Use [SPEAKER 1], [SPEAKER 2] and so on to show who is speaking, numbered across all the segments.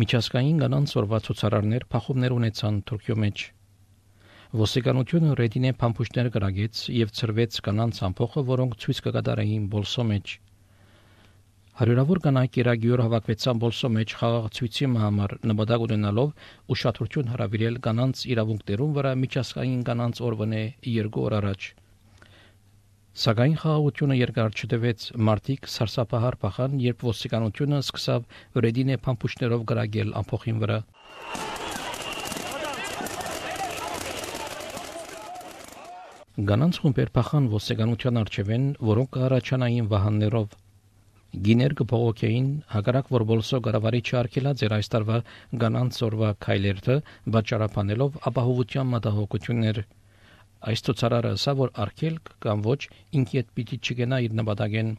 [SPEAKER 1] Միջազգային կանանց օրվա ցուցարարներ փախումներ ունեցան Թուրքիո մեջ։ Ոստիկանությունը ռեդինե փամփուշտներ գրագեց եւ ծրվեց կանանց ամփոխը, որոնք ցույց կկատարեին Բոլսո մեջ։ Հարյուրավոր կանայք Իրագյուր հավաքվեցան Բոլսո մեջ խաղաղ ցույցի համար, նպատակ ունենալով ուշադրություն հրավիրել կանանց իրավունքներուն վրա միջազգային կանանց օրվանե 2 օր առաջ։ Սակայն խաղաղությունը երկար չտևեց, մարդիկ սարսափահար փախան, երբ ոստիկանությունը սկսավ ռեդինե փամփուշտներով գրագել ամփոխին վրա։ Կանանց խումբեր փախան ոստիկանության առջևեն, որոնք առաջանային վահաններով։ Գիներ կփողոքեին հակառակ որ Բոլսո գարավարիչը արգելած էր այս տարվա կանանց օրվա քայլերթը, վաճառաբանելով ապահովության մտահոգություններ։ Այս ցուցարարը ասա որ արգելք կամ ոչ ինքիդ պիտի չգնա իր նպատակեն։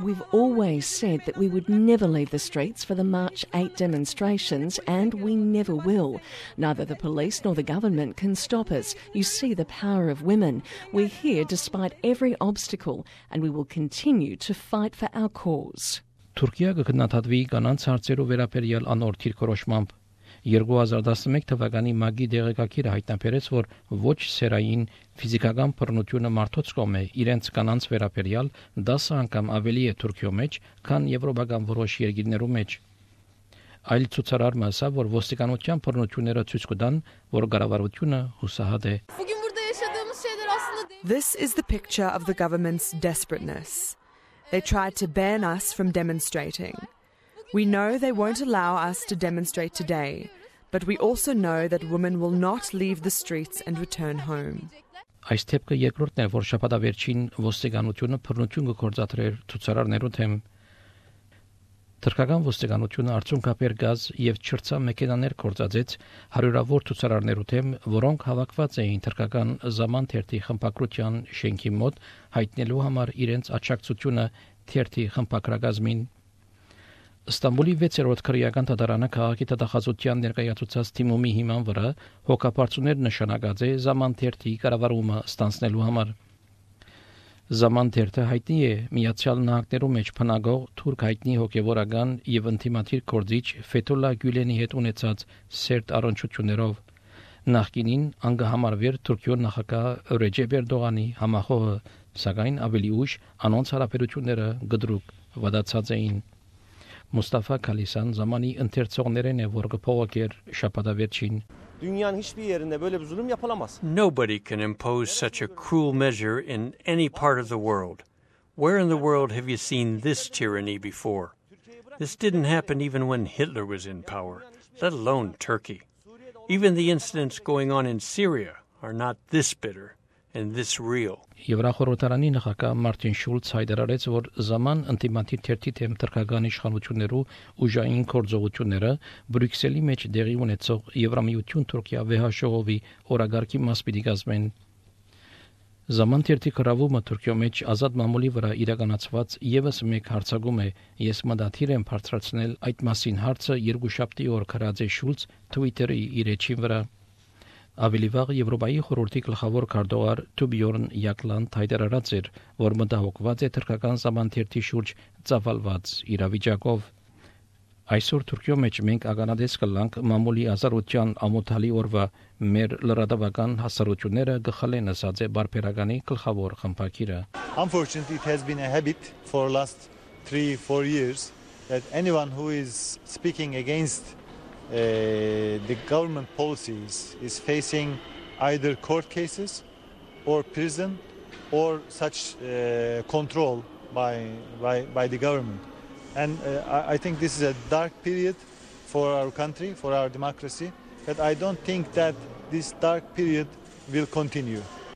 [SPEAKER 2] We've always said that we would never leave the streets for the March 8 demonstrations, and we never will. Neither the police nor the government can stop us. You see the power of women. We're here despite every obstacle, and we will continue to fight for our cause.
[SPEAKER 1] Թուրքիա կգնահատվի կանանց հարցերով վերաբերյալ անորդ քրոշմամբ 2011 թվականի մագի դեղեկագիրը հայտնաբերեց, որ ոչ սերային ֆիզիկական բռնությունը մարդոց կողմէ իրենց կանանց վերաբերյալ 10 անգամ ավելի է Թուրքիո մեջ, քան եվրոպական որոշ երկրներում մեջ։ Այլ ցուցարարը ասա, որ ոստիկանության բռնությունները ցույց կտան, որ կառավարությունը հուսահատ է։
[SPEAKER 3] This is the picture of the government's desperateness. They tried to ban us from demonstrating. We know they won't allow us to demonstrate today, but we also know that women will not leave the streets and return home.
[SPEAKER 1] Այս թեփքը երկրորդն է, որ շաբաթավերջին ոստիկանությունը բռնություն կգործադրեր ցուցարարներու թեմ։ Թուրքական ոստիկանությունը արդյունքաբեր գազ եւ չրցա մեքենաներ կործածեց հարյուրավոր ցուցարարներու թեմ, որոնք հավաքված էին թուրքական Zaman թերթի խմբակրության շենքի մոտ հայտնելու համար իրենց աջակցությունը թերթի խմբակրագազմին։ Ստամբուլի 6-րդ քրեական դատարանը քաղաքի տվյալահաշվության ներկայացուցած թիմումի հիման վրա հոգապարծուներ նշանակած է Zaman թերթի կառավարումը ստանձնելու համար։ Zaman թերթը հայտնի է Միացյալ Նահանգներում մեջ փնագող թուրք հայտնի հոգևորական եւ ինտիմատիր գործիչ Ֆեթուլլա Գյուլենի հետ ունեցած սերտ առնչություններով։ Նախկինին անգահամարվեր Թուրքիո նախագահ Ռեջեփ Էրդողանի համախոհը, սակայն ավելի ուշ անոնց հարաբերությունները գդրուկ վատացած էին։ Mustafa Kalisan Zamanı ընթերցողներն է որ կփողոքեր շաբաթավերջին։
[SPEAKER 4] Dünyanın hiçbir yerinde böyle bir zulüm yapılamaz.
[SPEAKER 5] Nobody can impose such a cruel measure in any part of the world. Where in the world have you seen this tyranny before? This didn't happen even when Hitler was in power, let alone Turkey. Even the incidents going on in Syria are not this bitter and this real.
[SPEAKER 1] Եվրախորհրդարանի նախագահ Մարտին Շուլց հայտարարեց, որ Zaman ինտիմատիր թերթի թեմ թուրքական իշխանություններու ուժային գործողությունները Բրյուսելի մեջ դեղի ունեցող Եվրամիություն Թուրքիա վեհաշողովի օրագարկի մաս պիտի կազմեն։ Zaman թերթի կառավարումը Թուրքիո մեջ ազատ մամուլի վրա իրականացված եւս մեկ հարցակում է։ Ես մտադիր եմ բարձրացնել այդ մասին հարցը երկուշաբթի օր քարած է Շուլց Twitter-ի իր էջին վրա։ Ավելի վաղ Եվրոպայի խորհրդի գլխավոր քարտուղար Թուբյորն Յակլանդ հայտարարած էր, որ մտահոգված է թուրքական Zaman թերթի շուրջ ծավալված իրավիճակով։ Այսօր Թուրքիո մեջ մենք ականատես կլանք մամուլի ազատության ամոթալի օրվա մեր լրատվական հասարությունները գխալեն ասած է բարբերականի գլխավոր խմբակիրը։
[SPEAKER 6] Unfortunately, it has been a habit for last 3-4 years that anyone who is speaking against the government policies is facing either court cases or prison or such control by the government. And I think this is a dark period for our country, for our democracy, but I don't think that this dark period will continue.